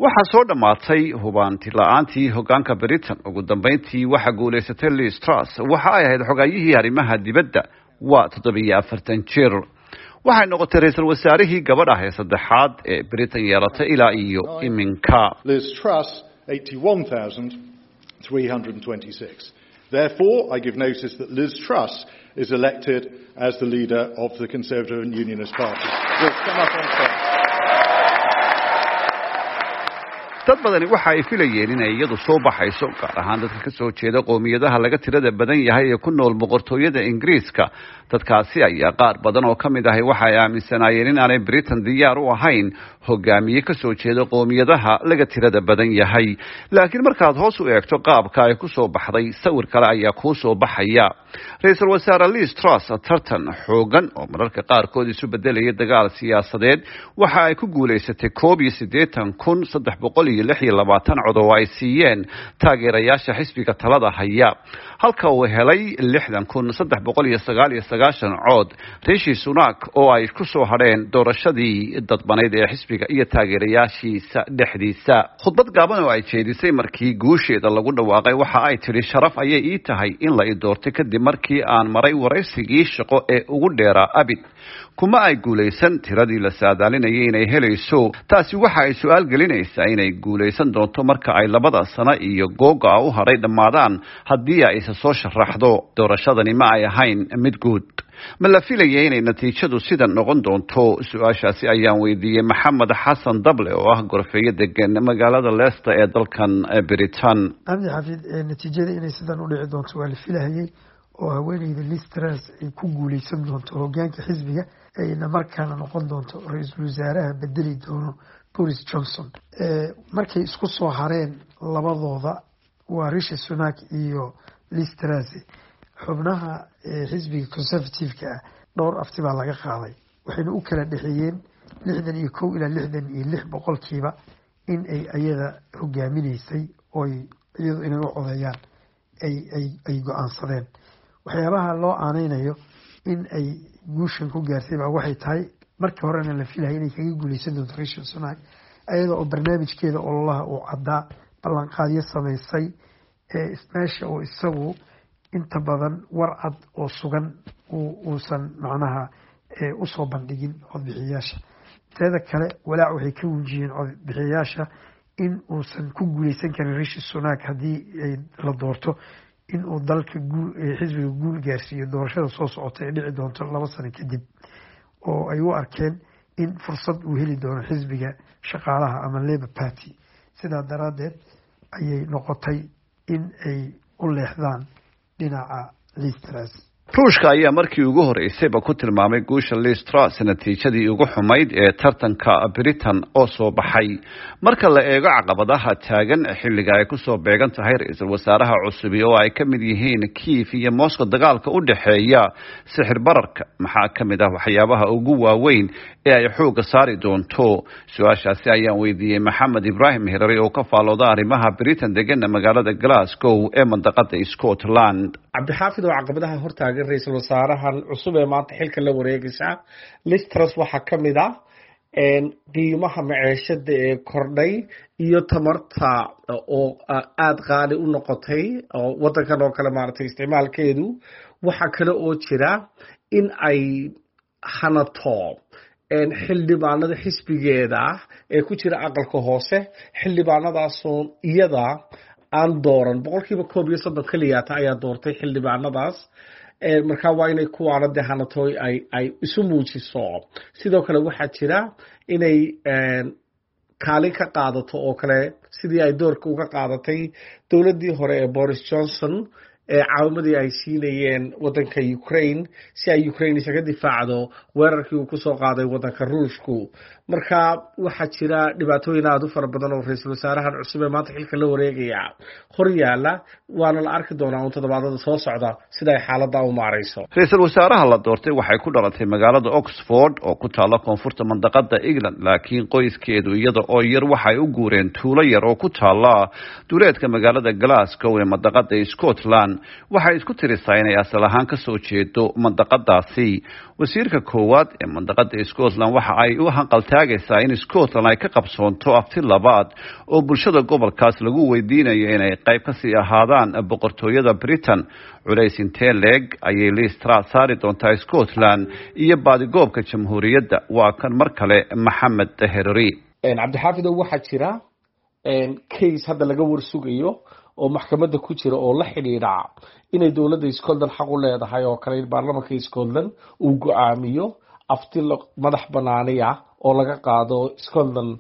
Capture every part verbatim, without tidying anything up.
Waxaa soo dhammaatay hubaanti la-aantii hogaanka Britain. Ugu dambeyntii waxaa guulaysatay Liz Truss. Waxa ay ahayd xogayihii arrimaha dibadda, waa toddobiyo afartan jir. Waxay noqotay ra-iisul wasaarihii gabadh ah ee saddexaad ee Britain yeelatay ilaa iyo iminka. Liz Truss, eighty-one thousand three hundred twenty-six. Therefore, I give notice that Liz Truss is elected as the leader of the Conservative and Unionist Party. Liz, come up on stage. Dad badani waxa ay filayeen inay iyadu soo baxayso, gaar ahaan dadka ka soo jeeda qowmiyadaha laga tirada badan yahay ee ku nool Boqortooyada Ingiriiska. Dadkaasi ayaa qaar badan oo ka mid ahi waxa ay aaminsanaayeen in aanay Britain diyaar u ahayn hogaamiye ka soo jeeda qowmiyadaha laga tirada badan yahay. Laakiin markaad hoos u eegto qaabka ay ku soo baxday, sawir kale ayaa kuu soo baxaya. Ra-iisul wasaare Liz Truss tartan xoogan oo mararka qaarkood isu bedelaya dagaal siyaasadeed waxa ay ku guulaysatay koob iyo siddeetan kun saddex boqol iyo lix iyo labaatan cod oo ay siiyeen taageerayaasha xisbiga talada haya, halka uu helay lixdan kun saddex boqol iyo sagaal iyo sagaashan cod Rishi Sunak, oo ay ku soo hadheen doorashadii dadbanayd ee xisbiga iyo taageerayaashiisa dhexdiisa. Khudbad gaaban oo ay jeedisay markii guusheeda lagu dhawaaqay waxa ay tidhi: "Sharaf ayay ii tahay in la i doortay kadib markii aan maray waraysigii shaqo ee ugu dheeraa abid." Kuma ay guulaysan tiradii la saadaalinayay inay helayso. Taasi waxa ay su-aal gelinaysaa inay guulaysan doonto marka ay labada sano iyo googa u hadhay dhammaadaan, haddii ay isa soo sharaxdo. Doorashadani ma ay ahayn mid guud. Ma la filaya inay natiijadu sidan noqon doonto? Su-aashaasi ayaan weydiiyey Maxamed Xasan Dable oo ah gorfeeyo degan magaalada Leicester ee dalkan Britain. Cabdi Xafiid, natiijada inay sidan u dhici doonto waa la filahayay, oo haweeneyda Liz Truss ay ku guuleysan doonto hogaanka xisbiga, ayna markaana noqon doonto ra-iisul wasaaraha bedeli doono Boris Johnson. Markay isku soo hareen labadooda, waa Rishi Sunak iyo Liz Truss, xubnaha xisbiga Conservative-ka ah dhowr afti baa laga qaaday, waxayna u kala dhexeeyeen lixdan iyo kow ilaa lixdan iyo lix boqolkiiba in ay ayada hogaaminaysay, oy iyadu inay u codeeyaan ay ay ay go-aansadeen. Waxyaabaha loo aaneynayo in ay guushan ku gaartay baa waxay tahay, markii horena la filaya inay kaga guuleysan doonto Rishi Sunak, ayada oo barnaamijkeeda ololaha uu caddaa, ballanqaadyo samaysay, meesha oo isagu inta badan war cad oo sugan uusan macnaha usoo bandhigin codbixiyaasha. Teeda kale, walaac waxay ka wujiyeen codbixiyaasha in uusan ku guuleysan karin Rishi Sunak, haddii ay la doorto, in uu dalka xisbiga guul gaarsiiyo doorashada soo socota ee dhici doonto laba sano kadib, oo ay u arkeen in fursad uu heli doono Xisbiga Shaqaalaha ama Labour Party. Sidaa daraaddeed ayay noqotay in ay u leexdaan dhinaca Liz Truss. Ruushka ayaa markii ugu horeysayba ku tilmaamay guusha Liz Truss natiijadii ugu xumayd ee tartanka Britain oo soo baxay. Marka la eego caqabadaha taagan xilliga ay kusoo beegan tahay ra-iisul wasaaraha cusubi, oo ay ka mid yihiin Kiev iyo Moscow, dagaalka u dhexeeya, sixir bararka, maxaa ka mid ah waxyaabaha ugu waaweyn ee ay xoogga saari doonto? Su-aashaasi ayaan weydiiyey Maxamed Ibraahim Hirari oo ka faalooda arrimaha Britain, degana magaalada Glasgow ee mandaqada Scotland. Cabdixaafid, oo caqabadaha hortaagan ra-iisul wasaarahan cusub ee maanta xilka la wareegaysa, Liz Truss, waxaa ka mid ah qiimaha maceeshada ee kordhay iyo tamarta oo aada qaali u noqotay oo wadankan oo kale maaragtay isticmaalkeedu. Waxaa kale oo jira in ay hanato xildhibaanada xisbigeeda ee ku jira aqalka hoose, xildhibaanadaasoo iyada aan dooran. Boqolkiiba koob iyo soddon keliyaata ayaa doortay xildhibaanadaas. Marka waa inay kuwaana dee hanato, ay ay isu muujiso. Sidoo kale waxaa jira inay kaalin ka qaadato oo kale sidii ay doorka uga qaadatay dowladdii hore ee Boris Johnson ee caawimadii ay siinayeen wadanka Ukraine, si ay Ukraine isaga difaacdo weerarkii uu kusoo qaaday wadanka Ruushku. Marka waxaa jira dhibaatooyin aada u fara badan oo ra-iisul wasaarahan cusub ee maanta xilka la wareegaya hor yaala, waana la arki doonaa un toddobaadada soo socda sida ay xaaladda u maarayso. Ra-iisul wasaaraha la doortay waxay ku dhalatay magaalada Oxford oo ku taalla koonfurta mandaqada England, laakiin qoyskeedu iyada oo yar waxay u guureen tuulo yar oo ku taalla duleedka magaalada Glasgow ee mandaqada Scotland. Waxay isku tirisaa inay asal ahaan kasoo jeedo mandaqadaasi. Wasiirka koowaad ee mandaqada Scotland waxa ay u hanqaltaagaysaa taagaysaa in Scotland ay ka qabsoonto afti labaad oo bulshada gobolkaas lagu weydiinayo inay qayb kasii ahaadaan boqortooyada Britain. Culays intee leeg ayay Liz Truss saari doontaa Scotland iyo baadigoobka jamhuuriyadda? Waa kan mar kale Maxamed Hereri. Cabdixaafidow, waxaa jira case hadda laga warsugayo oo maxkamadda ku jira oo la xidhiidha inay dowladda Scotland xaq u leedahay oo kale in baarlamanka Scotland uu go-aamiyo afti madax banaaniya oo laga qaado Scotland.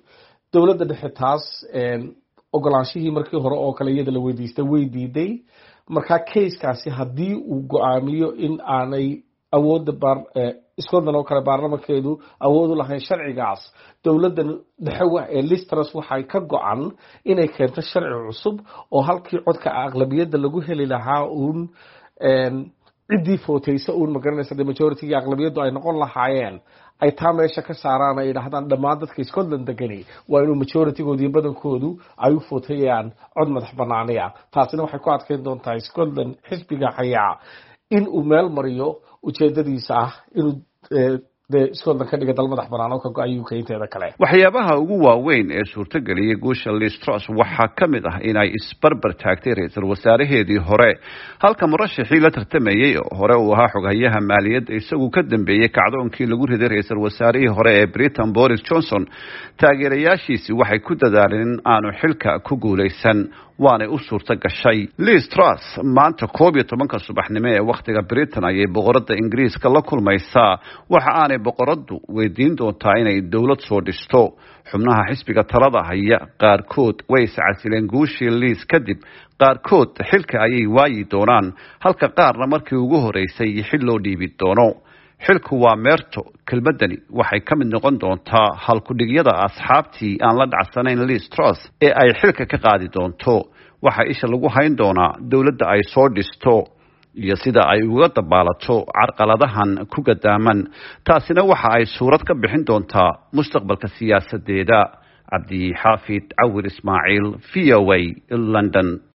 Dowladda dhexe taas ogolaanshihii markii hore oo kale iyada la weydiistay way diiday. Marka casekaasi haddii uu go-aamiyo in aanay awoodda Scotland oo kale baarlamankeedu awood u lahayn sharcigaas, dowladda dhexe ee Liz Truss waxay ka go-an inay keento sharci cusub oo halkii codka aqlabiyadda lagu heli lahaa uun ciddii footaysa uun, magaranaysa, de majoritygii aqlabiyaddu ay noqon lahaayeen, ay taa meesha ka saaraan, ay yidhaahdaan dhammaan dadka Scotland degani waa inuu majoritygoodu iyo badankoodu ay u footayaan cod madax banaaniya. Taasina waxay ku adkeyn doontaa Scotland xisbiga hayaa in uu meel mariyo ujeedadiisa ah inuu dee Scotland ka dhiga dal madax banaan oo ka go-ay U K inteeda kale. Waxyaabaha ugu waaweyn ee suurtageliyay guusha Liz Truss waxaa ka mid ah inay isbarbar taagtay ra-iisul wasaaraheedii hore, halka murashixii la tartamayey oo hore uu ahaa xoghayaha maaliyadda isagu ka dambeeyey kacdoonkii lagu riday ra-iisul wasaarihii hore ee Britain Boris Johnson. Taageerayaashiisi waxay ku dadaaleen in aanu xilka ku guulaysan, waanay u suurto gashay. Liz Truss maanta koob iyo tobanka subaxnimo ee wakhtiga Britain ayay boqoradda Ingiriiska la kulmaysaa. Waxa aanay boqoraddu weydiin doontaa inay dowlad soo dhisto. Xubnaha xisbiga talada haya qaarkood way iscasileen guushii Liz kadib, qaarkood xilka ayay waayi doonaan, halka qaarna markii ugu horeysay xil loo dhiibi doono. Xilku waa meerto. Kelmadani waxay ka mid noqon doontaa halkudhigyada asxaabtii aan la dhacsanayn Liz Truss ee ay xilka ka qaadi doonto. Waxaa isha lagu hayn doonaa dowladda ay soo dhisto iyo sida ay uga dabaalato carqaladahan ku gadaaman. Taasina waxa ay suurad ka bixin doontaa mustaqbalka siyaasadeeda. Cabdixaafid Cawir Ismaaciil, V O A, London.